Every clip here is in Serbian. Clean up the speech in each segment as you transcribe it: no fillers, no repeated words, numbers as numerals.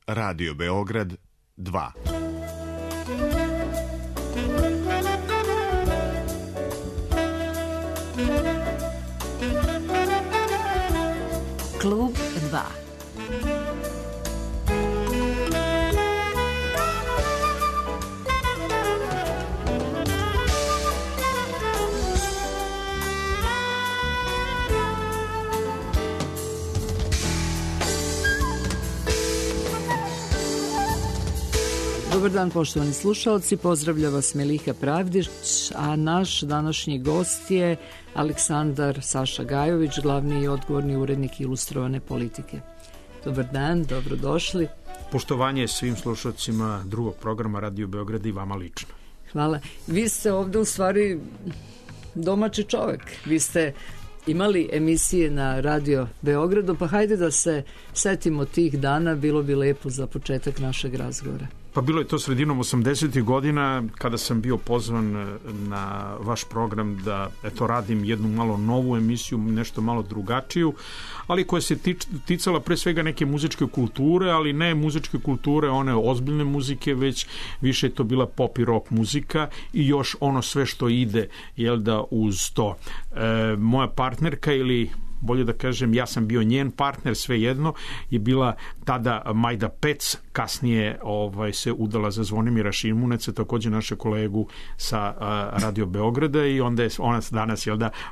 Radio Beograd 2. Klub 2. Dobar dan, poštovani slušalci, pozdravlja vas Meliha Pravdić, a naš današnji gost je Aleksandar Saša Gajović, glavni i odgovorni urednik Ilustrovane politike. Dobar dan, dobrodošli. Poštovanje svim slušalcima drugog programa Radio Beograd i vama lično. Hvala. Vi ste ovde u stvari domaći čovek. Vi ste imali emisije na Radio Beogradu, pa hajde da se setimo tih dana, bilo bi lepo za početak našeg razgovora. Pa bilo je to sredinom 80. godina kada sam bio pozvan na vaš program da radim jednu malo novu emisiju, nešto malo drugačiju, ali koja se ticala pre svega neke muzičke kulture, ali ne muzičke kulture, one ozbiljne muzike, već više je to bila pop i rock muzika i još ono sve što ide, uz to. Moja partnerka, ili bolje da kažem, ja sam bio njen partner, svejedno, je bila tada Majda Pec, kasnije se udala za Zvonimira Šimuneca, takođe naše kolegu sa Radio Beograda, i onda je ona danas,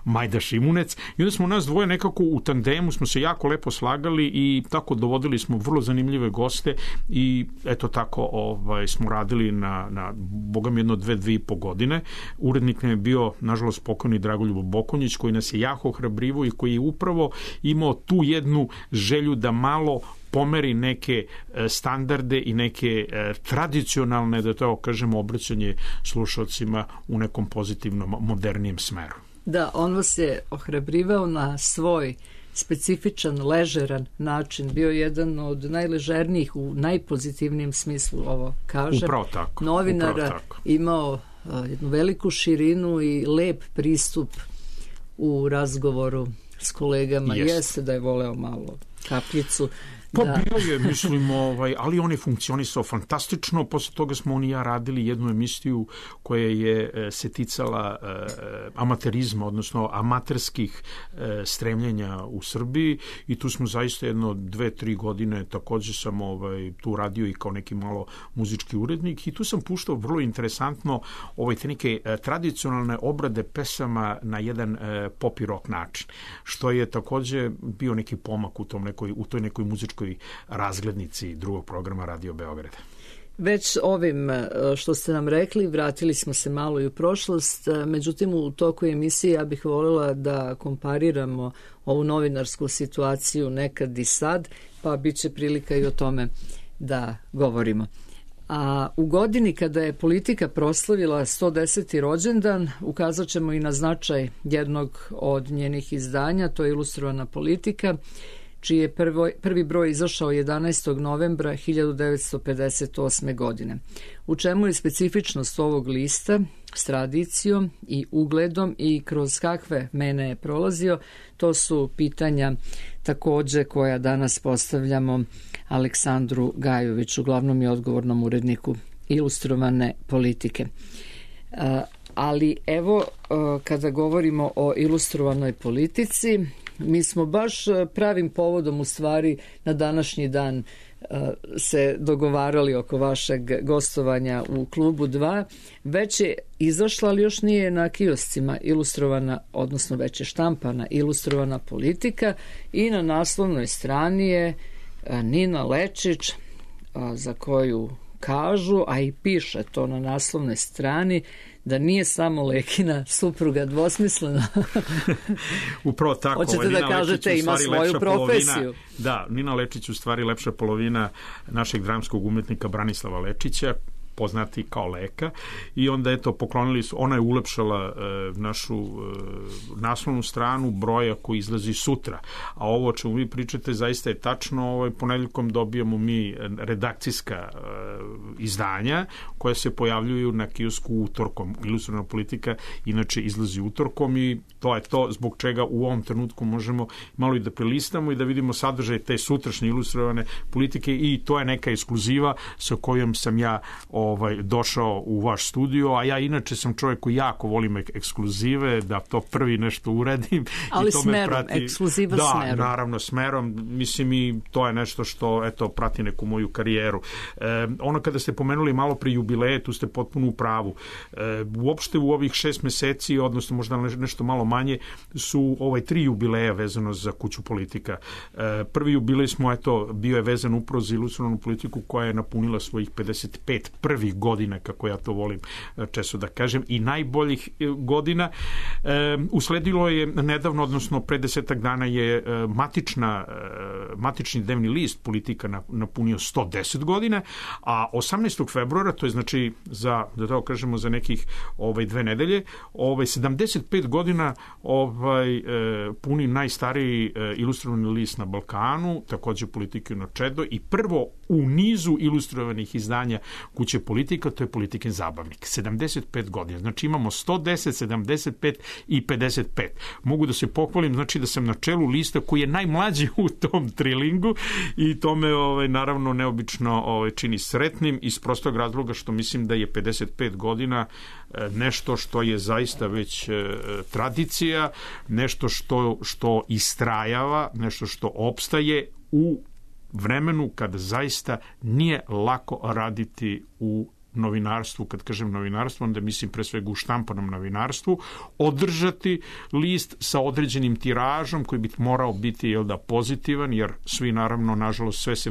Majda Šimunec, i onda smo nas dvoje nekako u tandemu, smo se jako lepo slagali i tako dovodili smo vrlo zanimljive goste i eto tako smo radili na bogam jedno 2,5 godine. Urednik nam je bio, nažalost, pokojni Dragoljubo Bokonjić, koji nas je jako ohrabrivo i koji je upravo imao tu jednu želju da malo pomeri neke standarde i neke tradicionalne, da to kažemo, obraćanje slušalcima u nekom pozitivnom, modernijem smeru. Da, on vas je ohrabrivao na svoj specifičan, ležeran način. Bio je jedan od najležernijih, u najpozitivnijem smislu, ovo kažem. Upravo tako. Novinara, imao jednu veliku širinu i lep pristup u razgovoru s kolegama. Jeste da je voleo malo kapljicu. Pa bio je, mislim, ali on je funkcionisao fantastično. Posle toga smo on i ja radili jednu emisiju koja je se ticala amaterizma, odnosno amaterskih stremljenja u Srbiji, i tu smo zaista jedno 2-3 godine, takođe sam tu radio i kao neki malo muzički urednik, i tu sam puštao vrlo interesantno te neke tradicionalne obrade pesama na jedan pop i rock način, što je takođe bio neki pomak u toj nekoj muzičkoj razglednici drugog programa Radio Beograda. Već ovim što ste nam rekli, vratili smo se malo i u prošlost, međutim u toku emisije ja bih voljela da kompariramo ovu novinarsku situaciju nekad i sad, pa bit će prilika i o tome da govorimo. A u godini kada je Politika proslavila 110. rođendan, ukazat ćemo i na značaj jednog od njenih izdanja, to je Ilustrovana politika, čiji je prvi broj izašao 11. novembra 1958. godine. U čemu je specifičnost ovog lista s tradicijom i ugledom i kroz kakve mene je prolazio, to su pitanja takođe koja danas postavljamo Aleksandru Gajoviću, glavnom i odgovornom uredniku Ilustrovane politike. Ali evo, kada govorimo o Ilustrovanoj politici, mi smo baš pravim povodom, u stvari, na današnji dan se dogovarali oko vašeg gostovanja u Klubu 2. Već je izašla, ali još nije na kioscima ilustrovana, odnosno već je štampana Ilustrovana politika, i na naslovnoj strani je Nina Lečić, za koju kažu, a i piše to na naslovnoj strani, da nije samo Lekina supruga dvosmislena. Upravo tako. Hoćete da kažete, ima svoju profesiju. Da, Nina Lečić u stvari lepša polovina našeg dramskog umetnika Branislava Lečića, poznati kao Leka, i onda eto poklonili su, ona je ulepšala našu naslovnu stranu broja koji izlazi sutra, a ovo o čemu vi pričate zaista je tačno. Ponedeljkom dobijamo mi redakcijska izdanja koja se pojavljuju na kiosku utorkom. Ilustrovana politika inače izlazi utorkom i to je to zbog čega u ovom trenutku možemo malo i da prelistamo i da vidimo sadržaj te sutrašnje ilustrovane politike, i to je neka ekskluziva sa kojom sam ja došao u vaš studio, a ja inače sam čovjek koji jako volim ekskluzive, da to prvi nešto uradim. Ali i to smerom, me prati, ekskluziva da, smerom. Da, naravno smerom, mislim, i to je nešto što eto prati neku moju karijeru. Ono kada ste pomenuli malo pri jubileje, tu ste potpuno u pravu. Uopšte u ovih 6 meseci, odnosno možda nešto malo manje, su 3 jubileja vezano za Kuću politika. Prvi jubilej smo, bio je vezan upravo za ilustrovanu politiku koja je napunila svojih 55 prvih godina, kako ja to volim često da kažem, i najboljih godina. Usledilo je nedavno, odnosno pre 10 dana je matični dnevni list Politika napunio 110 godina, a 18. februara, to je znači za nekih 2 nedelje, 75 godina puni najstariji ilustrovani list na Balkanu, takođe Politika na Čedo, i prvo u nizu ilustrovanih izdanja Kuće politika, to je Politikin zabavnik. 75 godina. Znači imamo 110, 75 i 55. Mogu da se pohvalim, znači da sam na čelu lista koji je najmlađi u tom trilingu, i to me naravno neobično čini sretnim iz prostog razloga što mislim da je 55 godina nešto što je zaista već tradicija, nešto što istrajava, nešto što opstaje u vremenu kada zaista nije lako raditi u novinarstvu. Kad kažem novinarstvo, onda mislim pre svega u štampanom novinarstvu, održati list sa određenim tiražom koji bi morao biti pozitivan, jer svi naravno, nažalost, sve se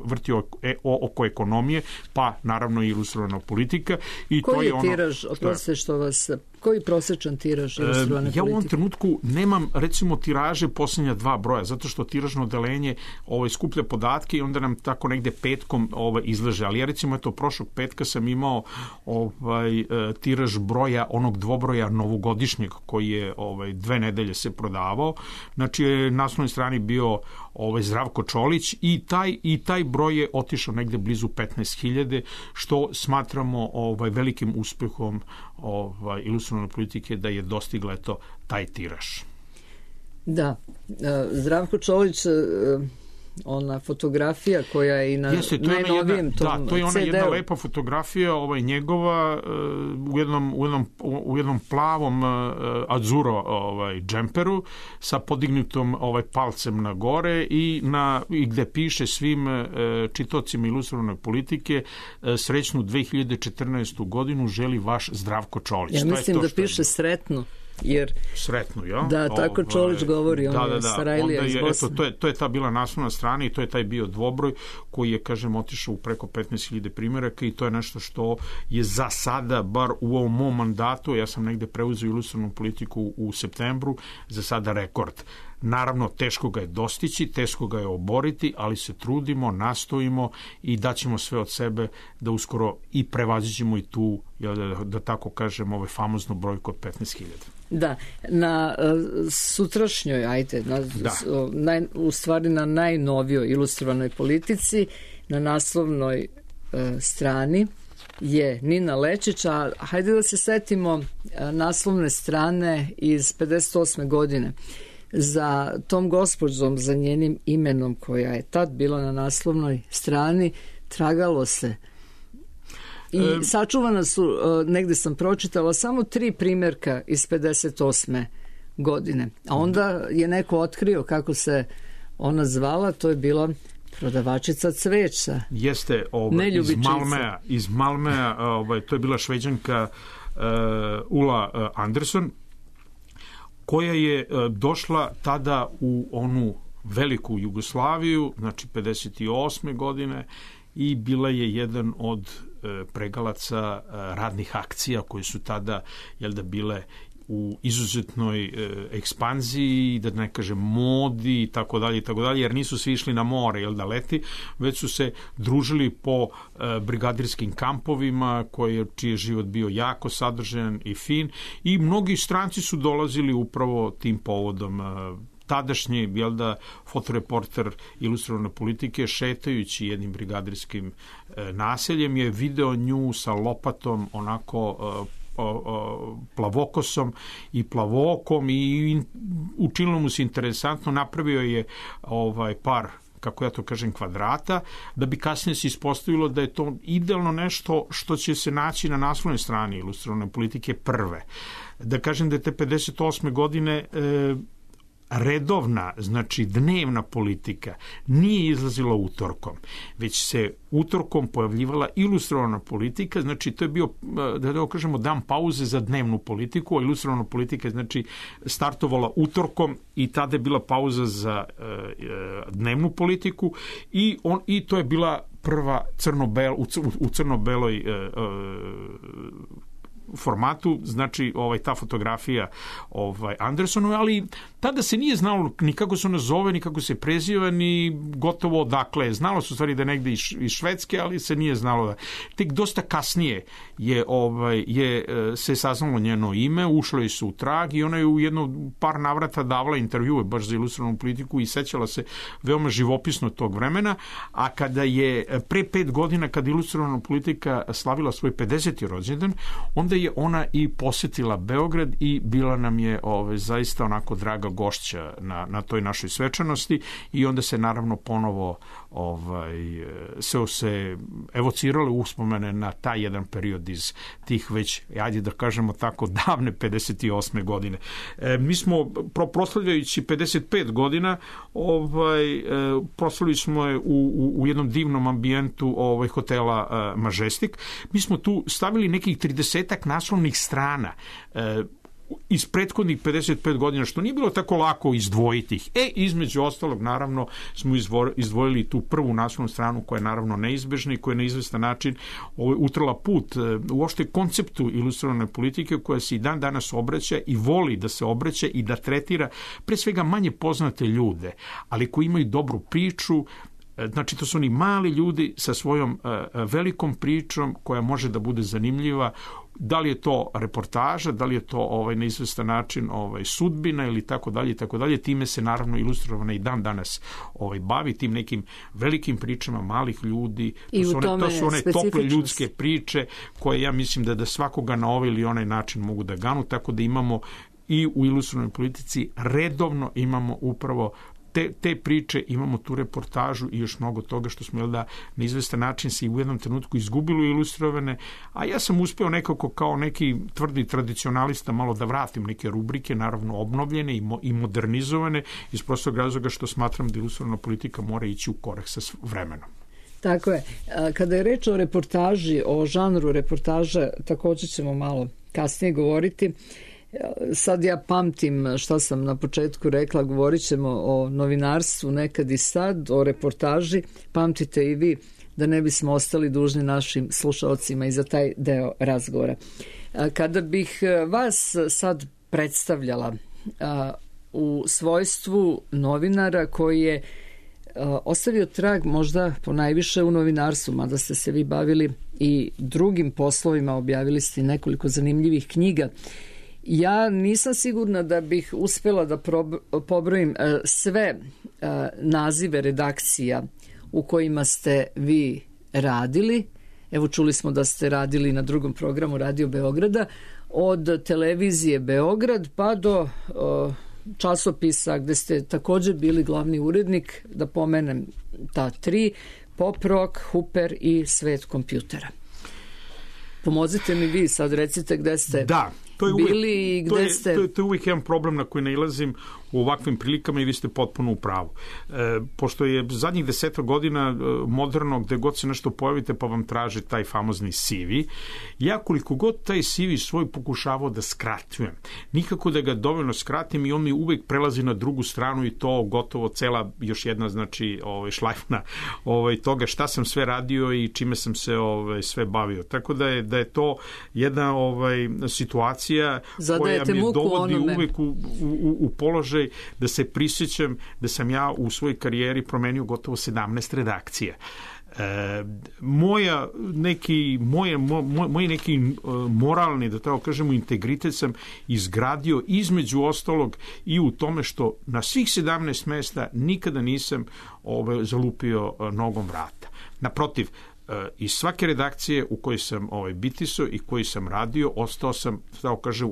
vrti oko ekonomije, pa naravno i ilustrovana politika. I koji to je tiraž, oprostite što vas, koji prosječan tiraž ilustrovane politike? Ja u ovom trenutku nemam, recimo, tiraže posljednja 2 broja, zato što tiražno odeljenje skuplja podatke i onda nam tako negde petkom izlaže. Ali ja, recimo, prošlog petka sam imao tiraž broja, onog dvobroja novogodišnjeg koji je 2 nedelje se prodavao. Znači, na naslovnoj strani bio Zdravko Čolić, i taj broj je otišao negde blizu 15.000, što smatramo velikim uspehom ilustrovane politike, da je dostigla taj tiraž. Da, Zdravko Čolić, ona fotografija koja je i na najnovijem tom CD-u. Da, to je ona jedna lepa fotografija njegova u jednom plavom adzuro džemperu sa podignutom palcem na gore i gde piše svim čitocima ilustrovane politike: srećnu 2014. godinu želi vaš Zdravko Čolić. Ja mislim da piše sretno. Jer sretno, ja? Da, tako Čolić govori, on je Sarajlija iz Bosne. To je ta bila naslovna strana i to je taj bio dvobroj koji je, kažem, otišao u preko 15.000 primjeraka, i to je nešto što je za sada, bar u ovom mom mandatu, ja sam negde preuzeo ilustrovanu politiku u septembru, za sada rekord. Naravno, teško ga je dostići, teško ga je oboriti, ali se trudimo, nastojimo i daćemo sve od sebe da uskoro i prevaziđemo i tu, da tako kažem, famoznu brojku od 15.000. Da, na sutrašnjoj, u stvari na najnovijoj ilustrovanoj politici, na naslovnoj strani je Nina Lečić, a hajde da se setimo naslovne strane iz 58. godine. Za tom gospođom, za njenim imenom koja je tad bila na naslovnoj strani, tragalo se. I sačuvana su, negde sam pročitala, samo 3 primjerka iz 58. godine. A onda je neko otkrio kako se ona zvala, to je bila prodavačica cveća. Jeste, iz Malmea, to je bila Šveđanka Ula Anderson, koja je došla tada u onu veliku Jugoslaviju, znači 58. godine, i bila je jedan od pregalaca radnih akcija koje su tada bile u izuzetnoj ekspanziji, da ne kažem modi i tako dalje, jer nisu svi išli na more, da leti, već su se družili po brigadirskim kampovima čiji je život bio jako sadržajan i fin, i mnogi stranci su dolazili upravo tim povodom. Tadašnji, fotoreporter Ilustrovane politike, šetajući jednim brigadirskim naseljem, je video nju sa lopatom, onako plavokosom i plavookom, i učinilo mu se interesantno. Napravio je par, kako ja to kažem, kvadrata, da bi kasnije se ispostavilo da je to idealno nešto što će se naći na naslovnoj strani Ilustrovane politike prve. Da kažem da je te 58. godine redovna, znači dnevna politika nije izlazila utorkom, već se utorkom pojavljivala Ilustrovana politika, znači to je bio, da kažemo, dan pauze za dnevnu politiku, a Ilustrovana politika je, znači, startovala utorkom i tada je bila pauza za dnevnu politiku, i to je bila prva u crno-beloj formatu, znači ta fotografija Andersonu, ali tada se nije znalo ni kako se ona zove, ni kako se preziva, ni gotovo odakle. Znalo se u stvari da je negde iz Švedske, ali se nije znalo. Tek dosta kasnije se saznalo njeno ime, ušlo je se u trag, i ona je u jedno par navrata davala intervjue baš za Ilustrovanu politiku i sećala se veoma živopisno tog vremena. A kada je pre 5 godina, kada Ilustrovana politika slavila svoj 50. rođendan, onda je ona i posetila Beograd i bila nam je zaista onako draga gošća na toj našoj svečanosti, i onda se naravno ponovo se evocirale uspomene na taj jedan period iz tih već, ajde da kažemo tako, davne 58. godine. Mi smo proslavljajući 55 godina proslavili smo je u jednom divnom ambijentu hotela Majestic. Mi smo tu stavili nekih 30-ak naslovnih strana iz prethodnih 55 godina, što nije bilo tako lako izdvojiti ih. Između ostalog, naravno, smo izdvojili tu prvu naslovnu stranu, koja je naravno neizbežna i koja je na izvestan način utrla put uopšte konceptu Ilustrovane politike, koja se i dan danas obraća i voli da se obraća i da tretira pre svega manje poznate ljude, ali koji imaju dobru priču. Znači, to su oni mali ljudi sa svojom velikom pričom koja može da bude zanimljiva. Da li je to reportaža, da li je to na izvestan način sudbina ili tako dalje. Time se naravno Ilustrovana i dan danas bavi, tim nekim velikim pričama malih ljudi. To su one tople ljudske priče koje ja mislim da svakoga na ovaj ili onaj način mogu da ganu, tako da imamo i u Ilustrovanoj politici redovno imamo upravo te priče, imamo tu reportažu i još mnogo toga što smo na izvestan način se i u jednom trenutku izgubili u Ilustrovane, a ja sam uspeo nekako kao neki tvrdi tradicionalista malo da vratim neke rubrike, naravno obnovljene i modernizovane, iz prostog razloga što smatram da Ilustrovana politika mora ići u korak sa vremenom. Tako je. Kada je reč o reportaži, o žanru reportaža, također ćemo malo kasnije govoriti. Sad ja pamtim šta sam na početku rekla, govorit ćemo o novinarstvu nekad i sad, o reportaži. Pamtite i vi, da ne bismo ostali dužni našim slušalcima i za taj deo razgovora. Kada bih vas sad predstavljala u svojstvu novinara koji je ostavio trag možda ponajviše u novinarstvu, mada ste se vi bavili i drugim poslovima, objavili ste nekoliko zanimljivih knjiga. Ja nisam sigurna da bih uspela da pobrojim sve nazive redakcija u kojima ste vi radili. Evo, čuli smo da ste radili na drugom programu Radio Beograda, od televizije Beograd pa do časopisa gde ste također bili glavni urednik, da pomenem ta 3, Pop Rock, Huper i Svet kompjutera. Pomozite mi vi, sad recite gde ste bili i gde ste... To je uvijek jedan problem na koji nailazim u ovakvim prilikama i vi ste potpuno u pravu. Pošto je zadnjih 10 godina moderno, gde god se nešto pojavite pa vam traži taj famozni CV, ja koliko god taj CV svoj pokušavao da skratujem, nikako da ga dovoljno skratim i on mi uvek prelazi na drugu stranu i to gotovo cela još jedna znači šlajfna toga šta sam sve radio i čime sam se sve bavio. Tako da je to jedna situacija koja me dovodi uvek u položaj da se prisjećam da sam ja u svojoj karijeri promenio gotovo 17 redakcija. Moj neki moralni, da tako kažemo, integritet sam izgradio između ostalog i u tome što na svih 17 mesta nikada nisam zalupio nogom vrata. Naprotiv, iz svake redakcije u kojoj sam bitisao i koji sam radio, ostao sam, da kažem,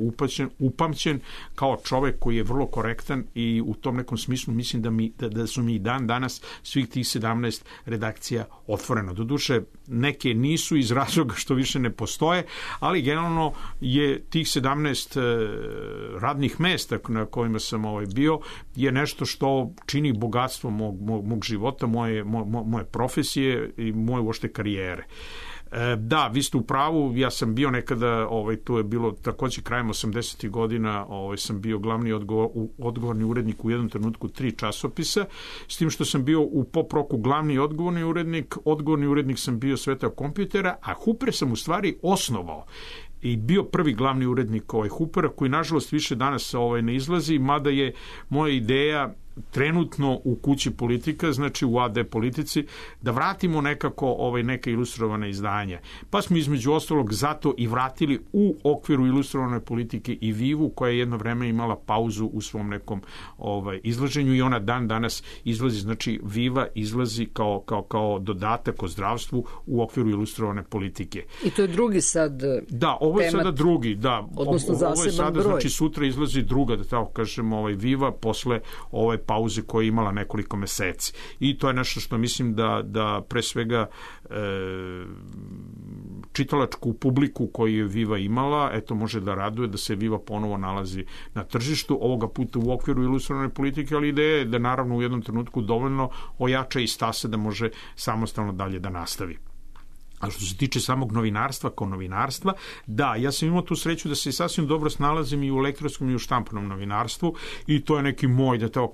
upamćen kao čovek koji je vrlo korektan i u tom nekom smislu mislim da su mi i dan danas svih tih 17 redakcija otvoreno. Doduše, neke nisu iz razloga što više ne postoje, ali generalno je tih 17 radnih mesta na kojima sam bio je nešto što čini bogatstvo mog života, moje profesije i moje uopšte karijere. Da, vi ste u pravu, ja sam bio nekada, to je bilo takođe krajem 80. godina, sam bio glavni odgovorni urednik u jednom trenutku 3 časopisa, s tim što sam bio u pop roku glavni odgovorni urednik sam bio Sveta kompjutera, a Hooper sam u stvari osnovao i bio prvi glavni urednik Hoopera, koji nažalost više danas ne izlazi, mada je moja ideja trenutno u kući Politika, znači u AD Politici, da vratimo nekako neka ilustrovana izdanja. Pa smo između ostalog zato i vratili u okviru ilustrovane Politike i Vivu, koja je jedno vreme imala pauzu u svom nekom izlaženju i ona dan danas izlazi, znači Viva izlazi kao dodatak o zdravstvu u okviru ilustrovane Politike. I to je drugi sad Da, ovo je sada drugi, da. Odnosno zaseban broj. Sada, znači sutra izlazi druga, da tako kažemo, Viva posle pauze koja je imala nekoliko meseci. I to je nešto što mislim da pre svega čitalačku publiku koju je Viva imala, eto može da raduje da se Viva ponovo nalazi na tržištu, ovoga puta u okviru ilustrovane Politike, ali ideja je da naravno u jednom trenutku dovoljno ojača i stasa da može samostalno dalje da nastavi. A što se tiče samog novinarstva kao novinarstva, da, ja sam imao tu sreću da se sasvim dobro snalazim i u elektronskom i u štampanom novinarstvu i to je neki moj, da tako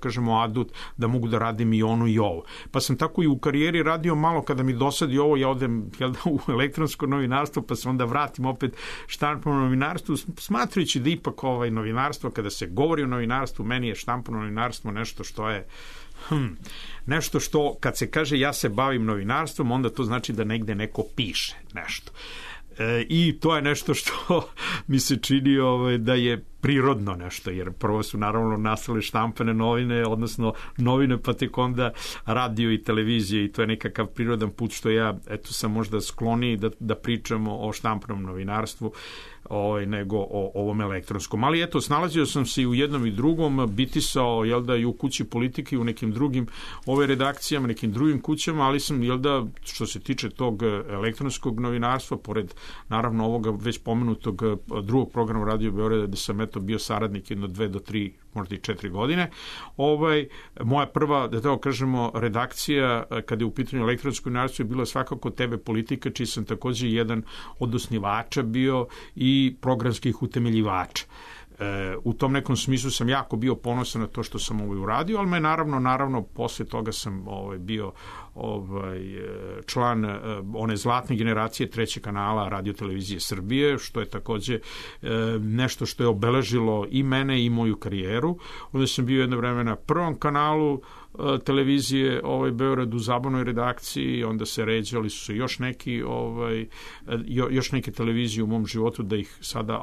kažemo, adut, da mogu da radim i ono i ovo. Pa sam tako i u karijeri radio malo, kada mi dosadi ovo, ja odem u elektronsko novinarstvo, pa se onda vratim opet štampano novinarstvu, smatrajući da ipak novinarstvo, kada se govori o novinarstvu, meni je štampano novinarstvo nešto što je nešto što, kad se kaže ja se bavim novinarstvom, onda to znači da negde neko piše nešto. I to je nešto što mi se čini da je prirodno nešto, jer prvo su naravno nastale štampane novine, odnosno novine, pa tek onda radio i televizije i to je nekakav prirodan put što ja, eto, sam možda skloniji da pričamo o štampanom novinarstvu nego o ovom elektronskom. Ali eto, snalazio sam se i u jednom i drugom, bitisao, i u kući Politike i u nekim drugim redakcijama, nekim drugim kućama, ali sam, što se tiče tog elektronskog novinarstva, pored naravno ovoga već pomenutog drugog programa Radio Beograda, gde sam bio saradnik jedno 2 do 3, možda i 4 godine. Moja prva, da tako kažemo, redakcija kada je u pitanju elektronsko novinarstvo je bila svakako TV Politika, čiji sam takođe jedan od osnivača bio i programskih utemeljivača. U tom nekom smislu sam jako bio ponosan na to što sam uradio, ali me naravno posle toga sam bio član one zlatne generacije trećeg kanala Radio Televizije Srbije, što je takođe nešto što je obeležilo i mene i moju karijeru. Onda sam bio jedno vreme na prvom kanalu televizije Beograd u zabavnoj redakciji, onda se ređali su još neke televizije u mom životu, da ih sada,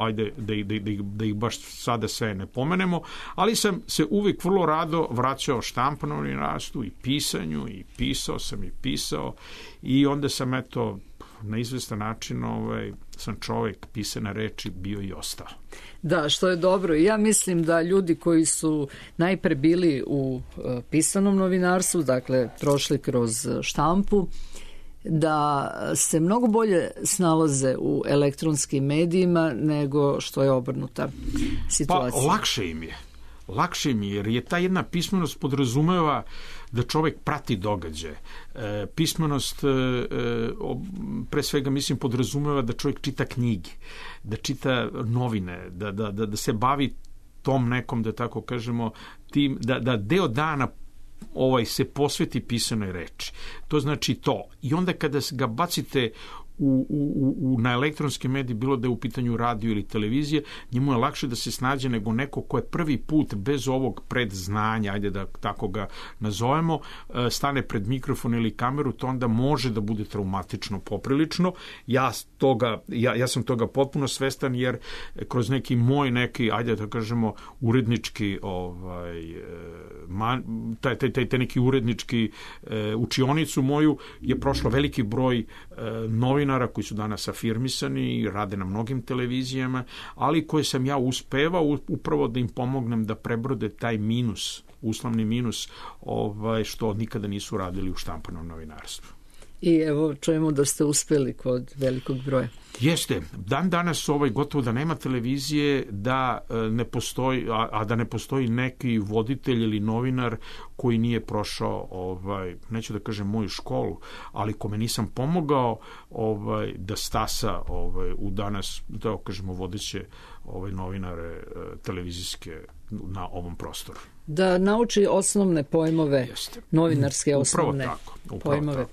da ih baš sada sve ne pomenemo, ali sam se uvijek vrlo rado vraćao štampanom novinarstvu i pisanju i pisao i onda sam na izvestan način sam čovek pisane reči bio i ostao. Da, što je dobro. Ja mislim da ljudi koji su najpre bili u pisanom novinarstvu, dakle prošli kroz štampu, da se mnogo bolje snalaze u elektronskim medijima nego što je obrnuta situacija. Pa lakše im je. lakše mi jer je ta jedna pismenost podrazumeva da čovek prati događaje. Pismenost pre svega mislim podrazumeva da čovjek čita knjige, da čita novine, da se bavi tom nekom, da tako kažemo, tim, da deo dana se posveti pisanoj reči. To znači to. I onda kada ga bacite na elektronske medije, bilo da je u pitanju radio ili televizije, njemu je lakše da se snađe nego neko ko je prvi put bez ovog predznanja, ajde da tako ga nazovemo, stane pred mikrofon ili kameru, to onda može da bude traumatično poprilično. Ja sam toga potpuno svestan jer kroz neki moj ajde da kažemo, urednički taj neki urednički učionicu moju je prošlo veliki broj novinara koji su danas afirmisani i rade na mnogim televizijama, ali koje sam ja uspevao upravo da im pomognem da prebrode taj minus, uslovni minus, što nikada nisu radili u štampanom novinarstvu. I evo čujemo da ste uspeli kod velikog broja. Jeste. Dan danas gotovo da nema televizije da ne postoji, a da ne postoji neki voditelj ili novinar koji nije prošao, neću da kažem moju školu, ali kome nisam pomogao da stasa u danas, da kažemo, vodeće novinare televizijske na ovom prostoru. Da nauči osnovne pojmove, novinarske osnovne pojmove,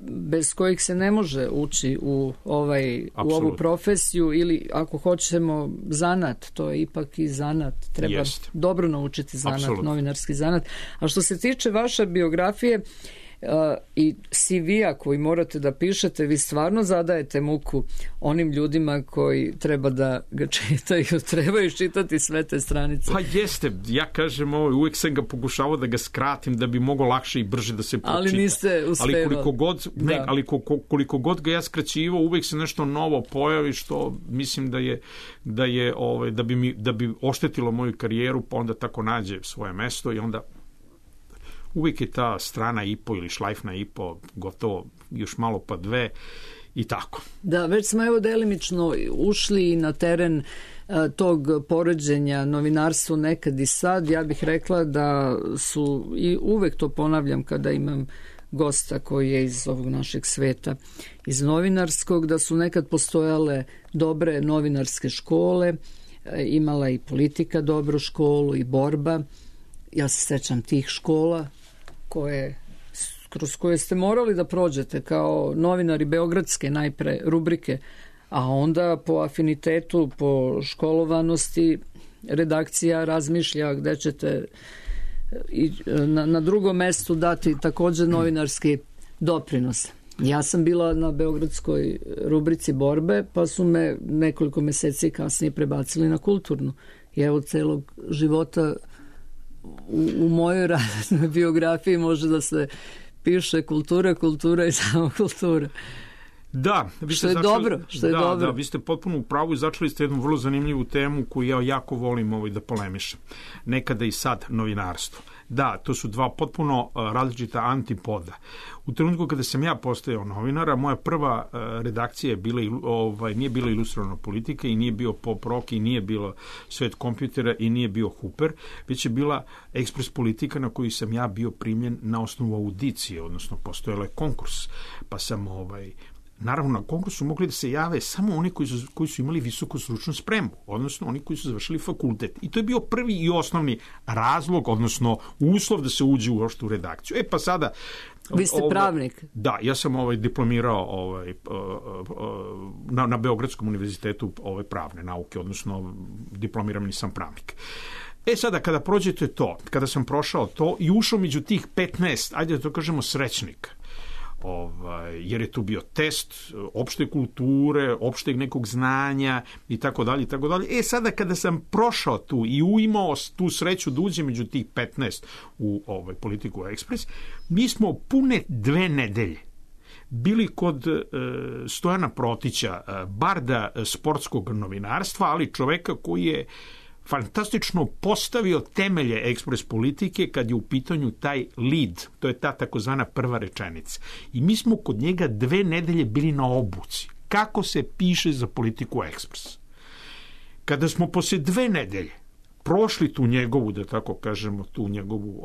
bez kojih se ne može ući u ovu profesiju ili ako hoćemo zanat, to je ipak i zanat, treba dobro naučiti zanat, novinarski zanat. A što se tiče vaše biografije i CV-a koji morate da pišete, vi stvarno zadajete muku onim ljudima koji treba da ga čitaju, trebaju čitati sve te stranice. Pa jeste, ja kažem uvijek sam ga pokušavao da ga skratim da bi moglo lakše i brže da se pročita. Ali niste uspevali. Ali koliko god ga ja skraćivao, uvijek se nešto novo pojavi što mislim da bi oštetilo moju karijeru, pa onda tako nađe svoje mesto i onda uvijek je ta strana i po ili šlajfna i po gotovo još malo pa dve i tako. Da, već smo delimično ušli na teren tog poređenja novinarstvo nekad i sad. Ja bih rekla da su, i uvek to ponavljam kada imam gosta koji je iz ovog našeg sveta, iz novinarskog, da su nekad postojale dobre novinarske škole, imala i politika dobru školu i borba. Ja se sećam tih škola kroz koje ste morali da prođete kao novinari beogradske najpre rubrike, a onda po afinitetu, po školovanosti redakcija razmišlja gde ćete na drugom mestu dati također novinarski doprinos. Ja sam bila na beogradskoj rubrici borbe, pa su me nekoliko meseci kasnije prebacili na kulturnu. I evo celog života u mojoj radnoj biografiji može da se piše kultura i samo kultura. Da, što je dobro. Da, vi ste potpuno u pravu i začeli ste jednu vrlo zanimljivu temu koju ja jako volim da polemišem. Nekada i sad novinarstvo. Da, to su dva potpuno različita antipoda. U trenutku kada sam ja postajao novinara, moja prva redakcija nije bila Ilustrovana politika i nije bio Pop Rock i nije bilo Svet kompjutera i nije bio Huper, već je bila Ekspres politika na koju sam ja bio primljen na osnovu audicije, odnosno postojala je konkurs, pa sam naravno, na konkursu mogli da se jave samo oni koji su imali visoku stručnu spremu, odnosno oni koji su završili fakultet. I to je bio prvi i osnovni razlog, odnosno uslov da se uđe u redakciju. Pa sada... Vi ste pravnik? Da, ja sam diplomirao na Beogradskom univerzitetu pravne nauke, odnosno diplomirani sam pravnik. Sada, kada prođete to, kada sam prošao to i ušao među tih 15, ajde da to kažemo, srećnika, jer je tu bio test opšte kulture, opšteg nekog znanja i tako dalje. Sada kada sam prošao tu i imao tu sreću da uđem među tih 15 u Politiku Ekspres, mi smo pune 2 nedelje bili kod Stojana Protića, barda sportskog novinarstva, ali čoveka koji je fantastično postavio temelje ekspres politike kad je u pitanju taj lead, to je ta takozvana prva rečenica. I mi smo kod njega 2 nedelje bili na obuci. Kako se piše za Politiku Ekspres? Kada smo posle 2 nedelje prošli tu njegovu, da tako kažemo, tu njegovu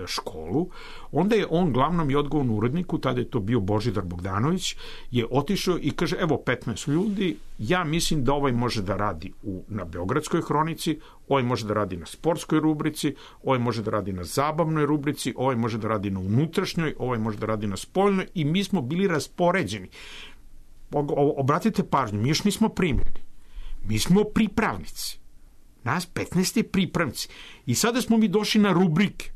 školu, onda je on glavnom i odgovornom uredniku, tada je to bio Božidar Bogdanović, je otišao i kaže, evo 15 ljudi, ja mislim da ovaj može da radi na Beogradskoj hronici, ovaj može da radi na sportskoj rubrici, ovaj može da radi na zabavnoj rubrici, ovaj može da radi na unutrašnjoj, ovaj može da radi na spoljnoj, i mi smo bili raspoređeni. Obratite pažnju, mi još nismo primljeni. Mi smo pripravnici. Nas 15 je pripravnici. I sada smo mi došli na rubrike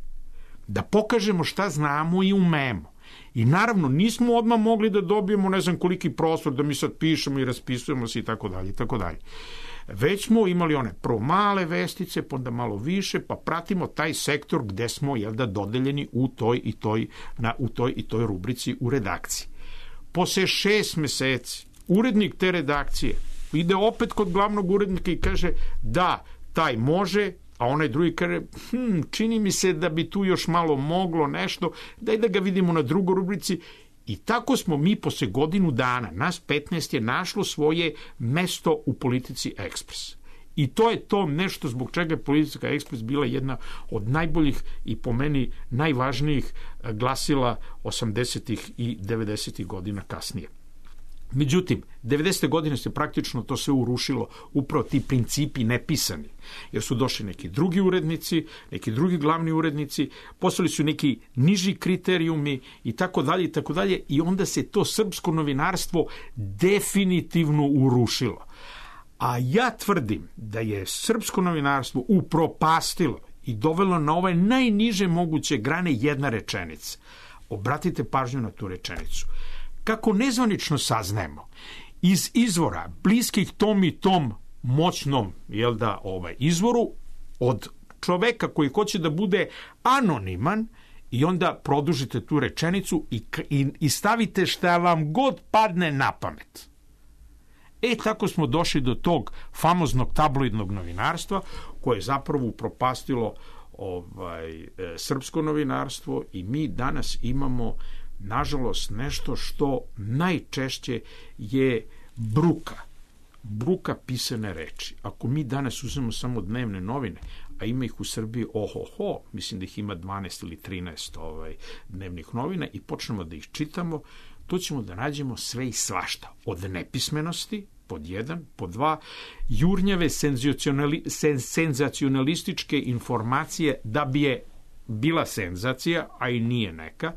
da pokažemo šta znamo i umemo. I naravno nismo odmah mogli da dobijemo ne znam koliki prostor da mi sad pišemo i raspisujemo se i tako dalje i tako dalje. Već smo imali one prvo male vestice, pa onda malo više, pa pratimo taj sektor gde smo dodeljeni u toj i toj rubrici u redakciji. Posle 6 meseci urednik te redakcije ide opet kod glavnog urednika i kaže da, taj može, a onaj drugi kaže čini mi se da bi tu još malo moglo nešto, daj da ga vidimo na drugoj rubrici. I tako smo mi posle godinu dana, nas 15 je našlo svoje mesto u Politici Ekspres. I to je to nešto zbog čega je Politika Ekspres bila jedna od najboljih i po meni najvažnijih glasila 80. i 90. godina kasnije. Međutim, 90. godine se praktično to sve urušilo, upravo ti principi nepisani, jer su došli neki drugi urednici, neki drugi glavni urednici, postali su neki niži kriterijumi i tako dalje, i onda se to srpsko novinarstvo definitivno urušilo. A ja tvrdim da je srpsko novinarstvo upropastilo i dovelo na ove najniže moguće grane jedna rečenica. Obratite pažnju na tu rečenicu. Kako nezvanično saznajemo, iz izvora bliskih tom i tom moćnom izvoru, od čoveka koji hoće da bude anoniman, i onda produžite tu rečenicu i stavite šta vam god padne na pamet. Tako smo došli do tog famoznog tabloidnog novinarstva koje je zapravo upropastilo srpsko novinarstvo, i mi danas imamo nažalost nešto što najčešće je bruka pisane reči. Ako mi danas uzmemo samo dnevne novine, a ima ih u Srbiji mislim da ih ima 12 ili 13 dnevnih novina, i počnemo da ih čitamo, to ćemo da nađemo sve i svašta. Od nepismenosti, pod 1, pod 2, jurnjave senzacionalističke informacije da bi je bila senzacija, a i nije neka,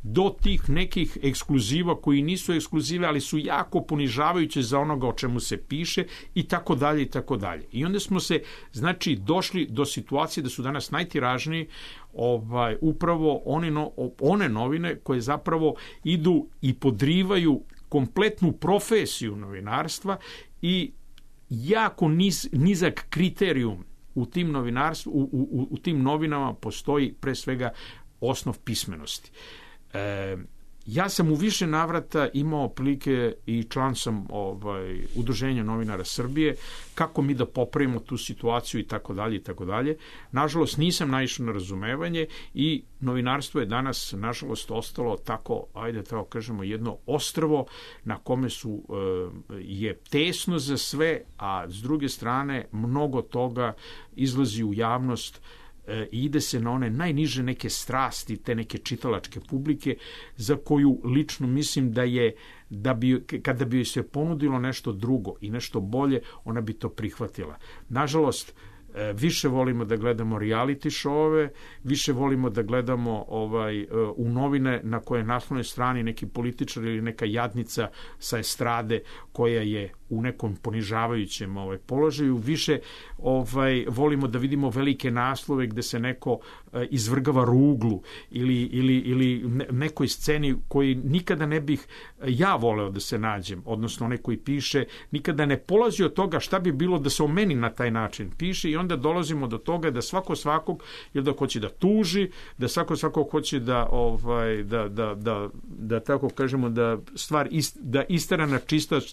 do tih nekih ekskluziva koji nisu ekskluzive, ali su jako ponižavajuće za onoga o čemu se piše, i tako dalje i tako dalje. I onda smo se, došli do situacije da su danas najtiražniji upravo one novine koje zapravo idu i podrivaju kompletnu profesiju novinarstva i jako nizak kriterijum u tim u tim novinama postoji pre svega osnov pismenosti. Ja sam u više navrata imao prilike i član sam Udruženja novinara Srbije, kako mi da popravimo tu situaciju i tako dalje i tako dalje. Nažalost nisam naišao na razumevanje i novinarstvo je danas nažalost ostalo tako, tako kažemo, jedno ostrvo na kome je tesno za sve, a s druge strane mnogo toga izlazi u javnost i ide se na one najniže neke strasti, te neke čitalačke publike, za koju lično mislim kada bi joj se ponudilo nešto drugo i nešto bolje, ona bi to prihvatila. Nažalost, više volimo da gledamo reality showove, više volimo da gledamo u novine na koje naslovnoj strani neki političar ili neka jadnica sa estrade koja je u nekom ponižavajućem položaju, više volimo da vidimo velike naslove gde se neko izvrgava ruglu ili nekoj sceni koji nikada ne bih ja voleo da se nađem, odnosno onaj koji piše nikada ne polazi od toga šta bi bilo da se o meni na taj način piše, i onda dolazimo do toga da svako svakog da hoće da tuži, da svako svakog hoće da tako kažemo da stvar da istera na čistac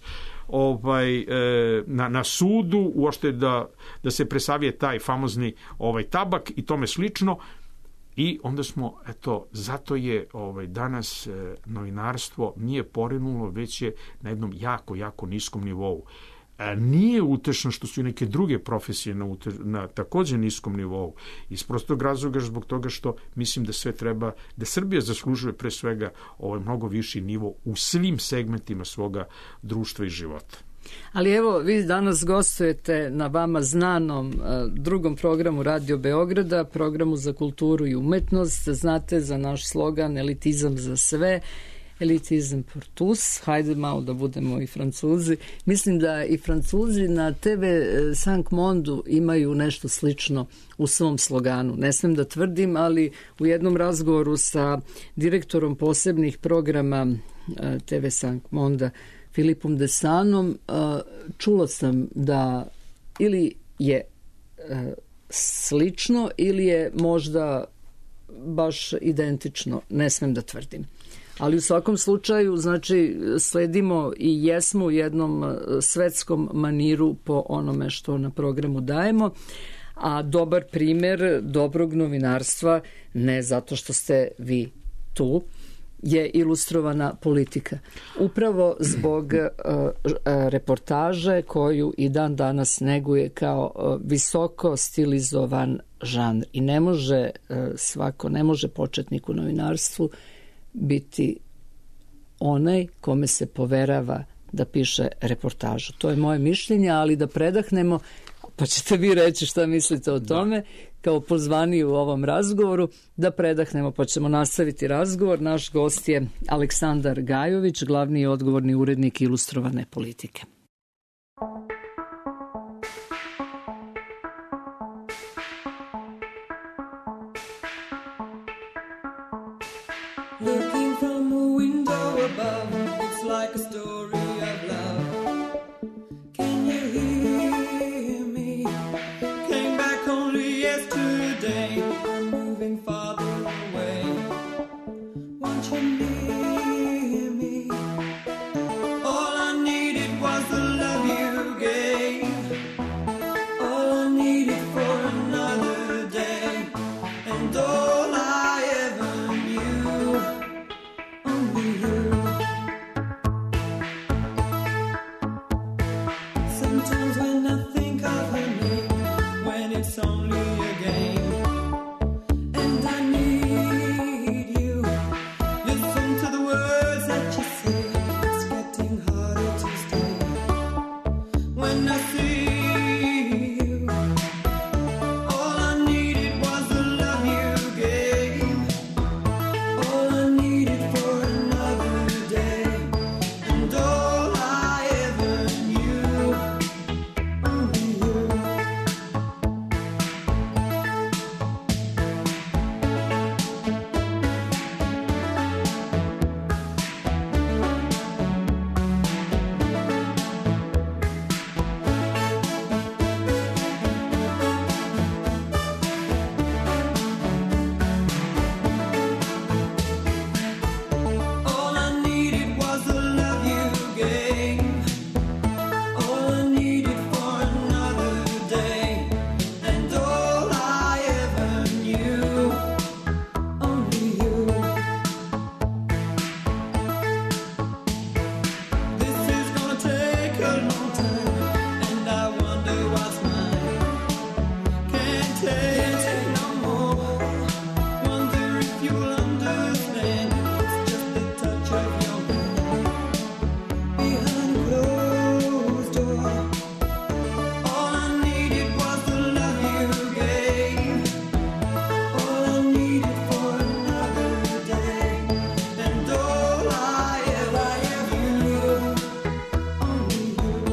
na sudu, uopšte da se presavije taj famozni tabak i tome slično. I onda smo, zato je danas novinarstvo nije porinulo, već je na jednom jako, jako niskom nivou. Nije utešno što su i neke druge profesije na takođe niskom nivou. Iz prostog razloga zbog toga što mislim da sve treba, da Srbija zaslužuje pre svega ovaj mnogo viši nivo u svim segmentima svoga društva i života. Ali evo, vi danas gostujete na vama znanom drugom programu Radio Beograda, programu za kulturu i umetnost. Znate za naš slogan elitizam za sve, elitizam pour tous. Hajde malo da budemo i Francuzi. Mislim da i Francuzi na TV Cinq Mondu imaju nešto slično u svom sloganu. Ne smem da tvrdim, ali u jednom razgovoru sa direktorom posebnih programa TV Cinq Monda, Filipom Desanom, čula sam da ili je slično ili je možda baš identično, ne smem da tvrdim. Ali u svakom slučaju, znači, sledimo i jesmo u jednom svetskom maniru po onome što na programu dajemo, a dobar primer dobrog novinarstva, ne zato što ste vi tu, je ilustrovana politika. Upravo zbog reportaže koju i dan danas neguje kao visoko stilizovan žanr. I ne može ne može početnik u novinarstvu biti onaj kome se poverava da piše reportažu. To je moje mišljenje, ali da predahnemo, pa ćete vi reći šta mislite o tome, kao pozvani u ovom razgovoru, da predahnemo, pa ćemo nastaviti razgovor. Naš gost je Aleksandar Gajović, glavni i odgovorni urednik Ilustrovane politike. Looking from a window above, it's like a story of love. Can you hear me? Came back only yesterday. I'm moving farther away. Won't you near me? All I needed was the love you gave. All I needed for another day. And all I ever knew. Only you. Sometimes when I think of her name, when it's only a game, and I need you. Listen to the words that you say. It's getting harder to stay. When I see you, all I needed was the love you gave. All I needed for another day, and all I ever knew. Only you. All I needed was the love you gave. All I needed for another day, and all I ever knew. Only you. This is gonna take a long time, and I wonder what's mine. Can't take no more. Wonder if you'll understand. It's just the touch of your hand behind a closed door. All I needed was the love you gave. All I needed for another day, and all I ever knew. Only you.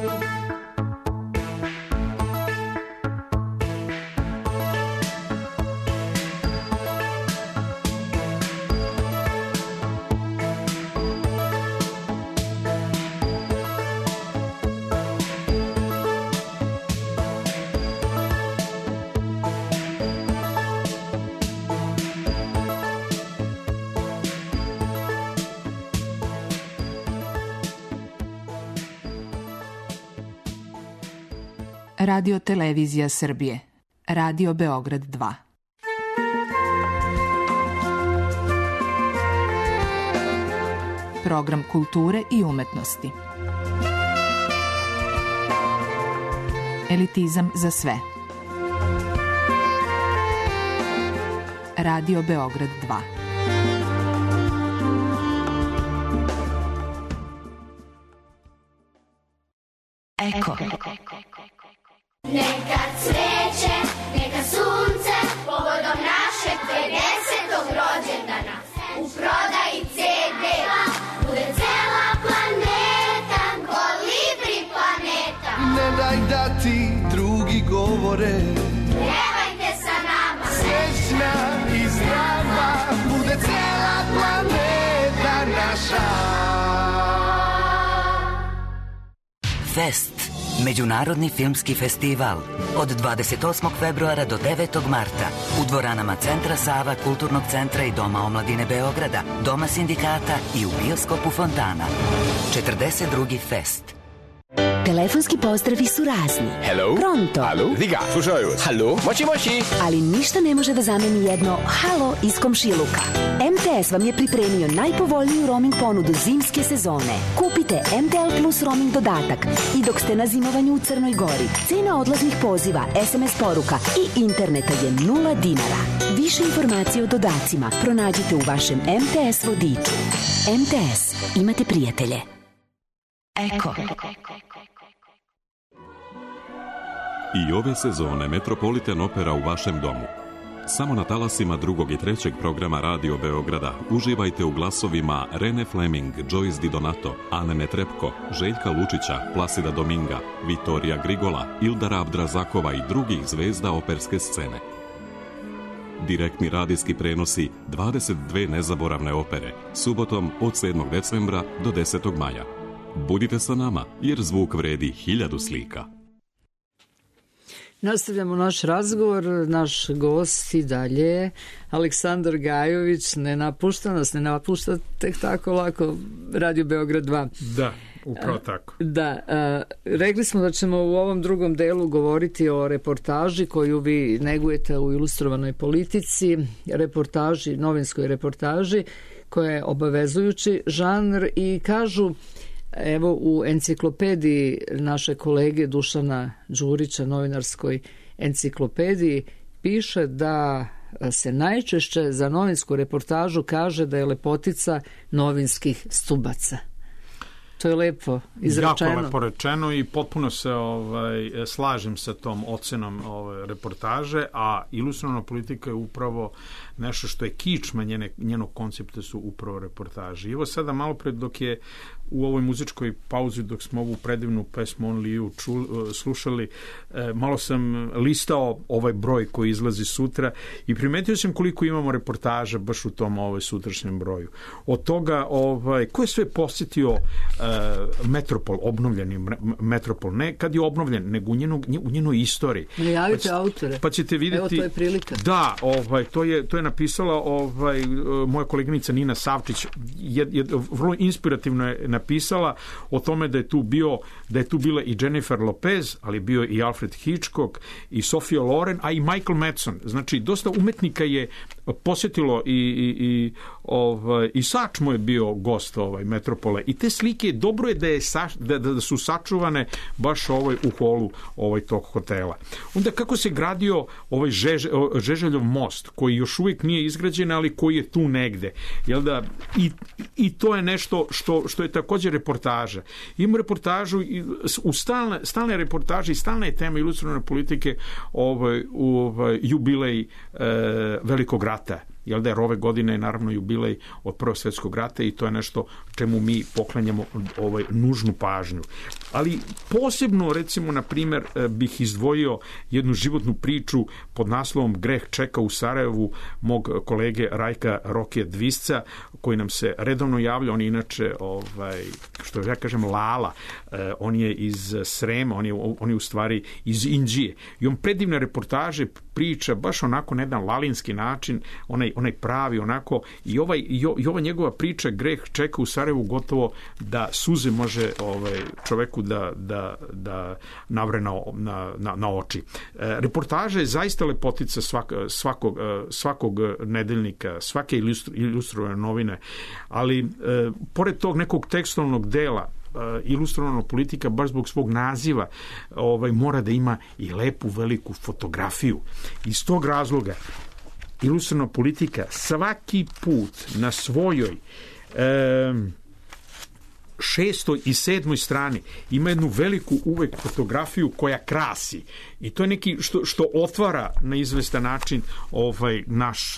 Radio Televizija Srbije. Radio Beograd 2. Program kulture i umetnosti. Elitizam za sve. Radio Beograd 2. Eko. Neka cveće, neka sunce, povodom našeg 50. rođendana, u prodaji CD-a, bude cela planeta, kolibri planeta. Ne daj da ti drugi govore, Pjevajte sa nama, srećna i zdrava, bude cela planeta naša. Fest. Međunarodni filmski festival od 28. februara do 9. marta u dvoranama Centra Sava, Kulturnog centra i Doma omladine Beograda, Doma sindikata i u bioskopu Fontana. 42. fest. Telefonski pozdravi su razni. Hello? Pronto. Halo? Diga, slušaju vas. Halo? Moći, moći. Ali ništa ne može da zameni jedno halo iz komšiluka. MTS vam je pripremio najpovoljniju roaming ponudu zimske sezone. Kupite MTL Plus roaming dodatak i dok ste na zimovanju u Crnoj Gori, cena odlaznih poziva, SMS poruka i interneta je 0 dinara. Više informacije o dodacima pronađite u vašem MTS vodiču. MTS. Imate prijatelje. Eko. I ove sezone Metropolitan Opera u vašem domu. Samo na talasima 2. i 3. programa Radio Beograda uživajte u glasovima Rene Fleming, Joyce Di Donato, Ane Netrepko, Željka Lučića, Plasida Dominga, Vitorija Grigola, Ildara Abdrazakova i drugih zvezda operske scene. Direktni radijski prenosi 22 nezaboravne opere, subotom od 7. decembra do 10. maja. Budite sa nama, jer zvuk vredi 1000 slika. Nastavljamo naš razgovor, naš gost i dalje je Aleksandar Gajović, ne napušta nas, ne napušta tek tako lako Radio Beograd 2. Da, upravo tako. Da, rekli smo da ćemo u ovom drugom delu govoriti o reportaži koju vi negujete u Ilustrovanoj politici, reportaži, novinskoj reportaži, koja je obavezujući žanr i kažu, evo u enciklopediji naše kolege Dušana Đurića, novinarskoj enciklopediji, piše da se najčešće za novinsku reportažu kaže da je lepotica novinskih stubaca. To je lepo izrečeno. Jako lepo rečeno i potpuno se slažem sa tom ocenom reportaže, a ilustrovana politika je upravo nešto što je kičma njenog koncepta su upravo reportaže. I evo sada malo pred dok je u ovoj muzičkoj pauzi dok smo ovu predivnu pesmu Only You slušali, malo sam listao ovaj broj koji izlazi sutra i primetio sam koliko imamo reportaža baš u tom sutrašnjem broju. Od toga ko je sve posjetio Metropol, obnovljeni Metropol, ne kad je obnovljen, nego u njenoj istoriji. Najavite autore. Pa ćete vidjeti. Evo, to je prilika. Da, to je napisala moja koleginica Nina Savčić, vrlo inspirativno je napisala o tome da je tu bila i Jennifer Lopez, ali bio i Alfred Hitchcock i Sophia Loren, a i Michael Madsen. Znači, dosta umetnika je posjetilo i Sačmo je bio gost Metropole. I te slike, dobro je da su sačuvane baš u holu tog hotela. Onda kako se gradio Žeželjov most, koji još uvijek nije izgrađen, ali koji je tu negde. Jel da? I to je nešto što je također reportaža. Imamo reportažu u stalne reportaže i stalna je tema ilustrovane politike jubilej Velikog rata. Jel da, jer ove godine je naravno jubilej od Prvog svjetskog rata i to je nešto čemu mi poklanjamo nužnu pažnju. Ali posebno, recimo, na primjer, bih izdvojio jednu životnu priču pod naslovom Greh čeka u Sarajevu mog kolege Rajka Rokije Dvisca, koji nam se redovno javlja. On je inače, što ja kažem, Lala. On je iz Srema, on je u stvari iz Inđije. I on predivne reportaže priča baš onako na jedan lalinski način, onaj pravi onako, i ova njegova priča Greh čeka u Sarajevu gotovo da suze može čoveku da navre na oči. Reportaža je zaista lepotica svakog nedeljnika, svake ilustrovane novine, ali pored tog nekog tekstualnog dela ilustrovana politika baš zbog svog naziva mora da ima i lepu veliku fotografiju. Iz tog razloga ilustrovana politika svaki put na svojoj 6. i 7. strani ima jednu veliku uvek fotografiju koja krasi. I to je neki što otvara na izvestan način naš,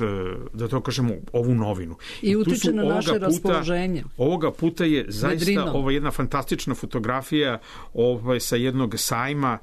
da to kažemo, ovu novinu. I utiče na naše raspoloženje. Ovoga puta je zaista jedna fantastična fotografija sa jednog sajma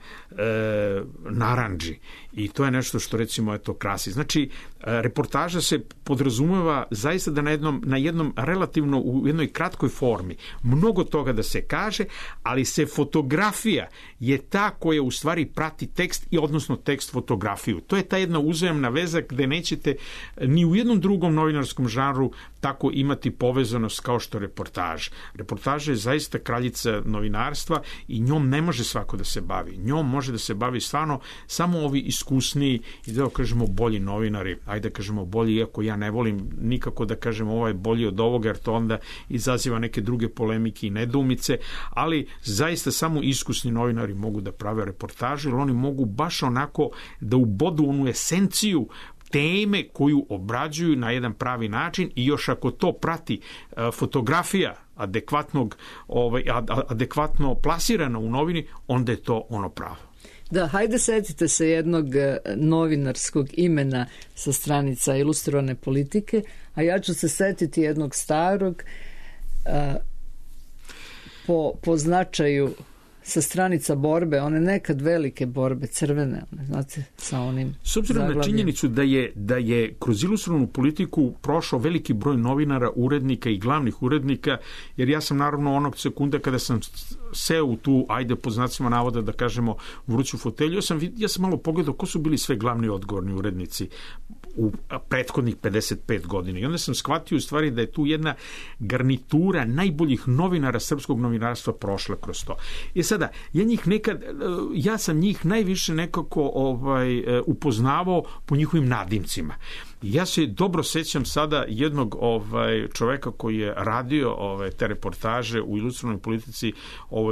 narandži. I to je nešto što recimo krasi. Znači, reportaža se podrazumeva zaista da na jednom relativno u jednoj kratkoj formi mnogo toga da se kaže, ali se fotografija je ta koja u stvari prati tekst i odnosno tekst fotografiju. To je ta jedna uzajamna veza gde nećete ni u jednom drugom novinarskom žanru tako imati povezanost kao što reportaž. Reportaža je zaista kraljica novinarstva i njom ne može svako da se bavi. Njom može da se bavi stvarno samo ovi iskusniji i da kažemo bolji novinari, ajde da kažemo bolji, iako ja ne volim nikako da kažem ovo je bolji od ovoga, jer to onda izaziva neke druge polemike i nedoumice, ali zaista samo iskusni novinari mogu da prave reportaže, jer oni mogu baš onako da ubodu onu esenciju teme koju obrađuju na jedan pravi način i još ako to prati fotografija adekvatno plasirana u novini, onda je to ono pravo. Da, hajde setite se jednog novinarskog imena sa stranica ilustrovane politike, a ja ću se setiti jednog starog po značaju sa stranica borbe, one nekad velike borbe, crvene, znate, sa onim s obzirom zaglavljem. Na činjenicu da je kroz ilustrovanu politiku prošao veliki broj novinara, urednika i glavnih urednika, jer ja sam naravno onog sekunda kada sam seo u tu, ajde po znacima navoda da kažemo, vruću fotelju, ja sam malo pogledao ko su bili sve glavni odgovorni urednici u prethodnih 55 godina. I onda sam shvatio u stvari da je tu jedna garnitura najboljih novinara srpskog novinarstva prošla kroz to. I sada, ja sam njih najviše nekako upoznavao po njihovim nadimcima. Ja se dobro sećam sada jednog čoveka koji je radio te reportaže u ilustrovanoj politici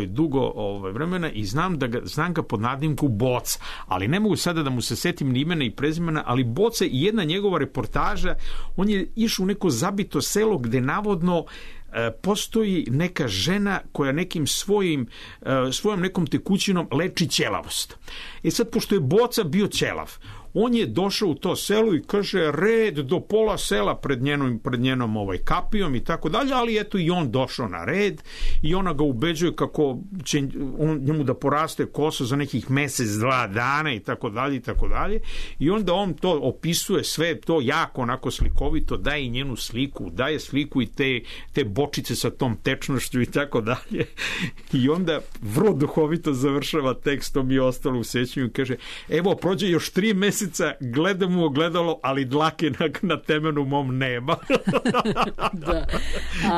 dugo vremena i znam ga pod nadimku Boca, ali ne mogu sada da mu se setim ni imena i prezimena, ali Boca i jedna njegova reportaža, on je išao u neko zabito selo gde navodno postoji neka žena koja nekim svojom nekom tekućinom leči ćelavost. I sad, pošto je Boca bio ćelav, on je došao u to selo i kaže red do pola sela pred njenom kapijom i tako dalje, ali eto i on došao na red i ona ga ubeđuje kako će njemu da poraste kosa za nekih mesec, 2 dana i tako dalje i tako dalje. I onda on to opisuje sve to jako onako slikovito, daje i njenu sliku, daje sliku i te bočice sa tom tečnošću i tako dalje. I onda vrlo duhovito završava tekstom i ostalo u sećanju i kaže, evo prođe još 3 meseca, gledam u ogledalo, ali dlake na temenu mom nema. Da.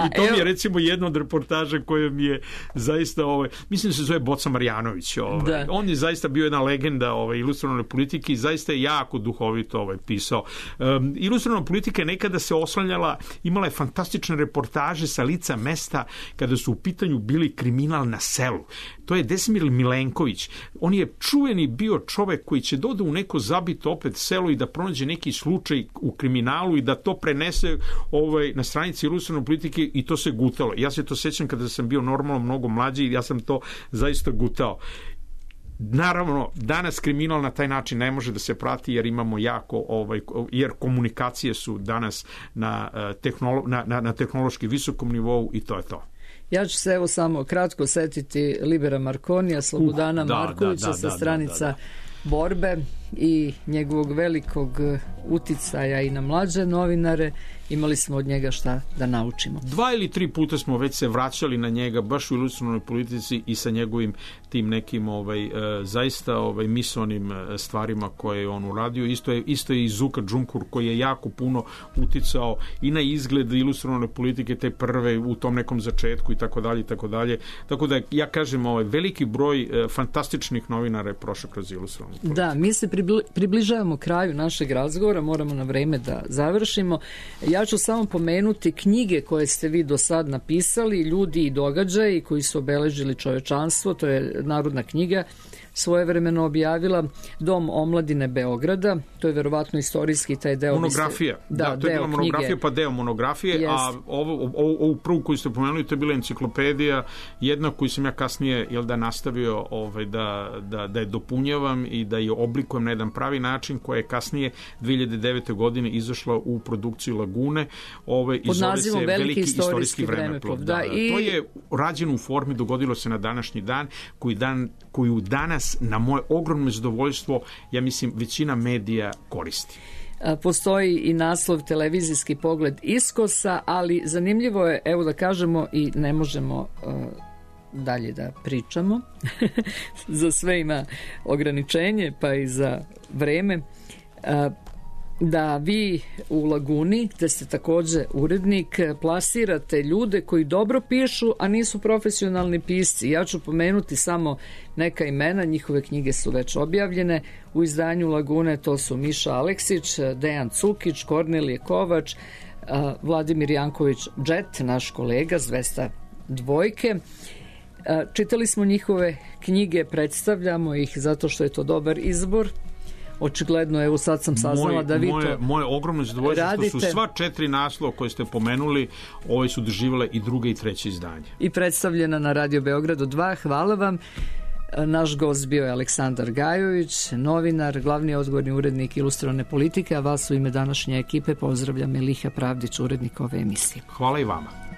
I to mi je recimo jedna od reportaža koja mi je zaista, mislim da se zove Boca Marjanović. On je zaista bio jedna legenda ilustrovane politike i zaista je jako duhovito pisao. Ilustrovana politika nekada se oslanjala, imala je fantastične reportaže sa lica mesta kada su u pitanju bili kriminal na selu. To je Desimir Milenković. On je čuveni bio čovek koji će doda u neko zabito opet selo i da pronađe neki slučaj u kriminalu i da to prenese na stranici ilustrovane politike i to se gutalo. Ja se to sećam kada sam bio normalno mnogo mlađi i ja sam to zaista gutao. Naravno, danas kriminal na taj način ne može da se prati jer imamo jer komunikacije su danas na tehnološki visokom nivou i to je to. Ja ću se samo kratko setiti Libera Markonija, Slobodana Markovića sa stranica borbe i njegovog velikog uticaja i na mlađe novinare. Imali smo od njega šta da naučimo. 2 ili 3 puta smo već se vraćali na njega baš u ilustrovanoj politici i sa njegovim tim nekim zaista misaonim stvarima koje je on uradio. Isto je i Zuka Džunkur koji je jako puno uticao i na izgled ilustrovane politike te prve u tom nekom začetku i tako dalje i tako dalje. Tako da ja kažem veliki broj fantastičnih novinara je prošao kroz ilustrovanu politiku. Da, mi se približavamo kraju našeg razgovora, moramo na vreme da završimo. Ja Ja ću samo pomenuti knjige koje ste vi do sad napisali, Ljudi i događaji koji su obeležili čovečanstvo, to je narodna knjiga, svojevremeno objavila Dom omladine Beograda, to je verovatno istorijski taj deo. Monografija, da, to je bila monografija, pa deo monografije, a ovu prvu koju ste pomenuli, to je bila enciklopedija, jedna koju sam ja kasnije nastavio da je dopunjavam i da je oblikujem na jedan pravi način, koja je kasnije 2009. godine izašla u produkciju Lagune, i zove se Veliki istorijski vremeplov. To je rađeno u formi, dogodilo se na današnji dan, koju danas na moje ogromno zadovoljstvo, ja mislim, većina medija koristi. Postoji i naslov Televizijski pogled iskosa, ali zanimljivo je, evo da kažemo, i ne možemo dalje da pričamo, za sve ima ograničenje, pa i za vreme, da vi u Laguni, gde ste takođe urednik, plasirate ljude koji dobro pišu, a nisu profesionalni pisci. Ja ću pomenuti samo neka imena, njihove knjige su već objavljene u izdanju Lagune, to su Miša Aleksić, Dejan Cukić, Kornelije Kovač, Vladimir Janković Džet, naš kolega, zvezda dvojke. Čitali smo njihove knjige, predstavljamo ih zato što je to dobar izbor. Očigledno, evo sad sam saznala da vi to moje ogromno zadovoljstvo što su sva 4 naslova koje ste pomenuli, ove su doživjele i druge i treće izdanje. I predstavljena na Radio Beogradu 2. Hvala vam. Naš gost bio je Aleksandar Gajović, novinar, glavni odgovorni urednik Ilustrovane politike, a vas u ime današnje ekipe pozdravlja Meliha Pravdić, urednik ove emisije. Hvala i vama.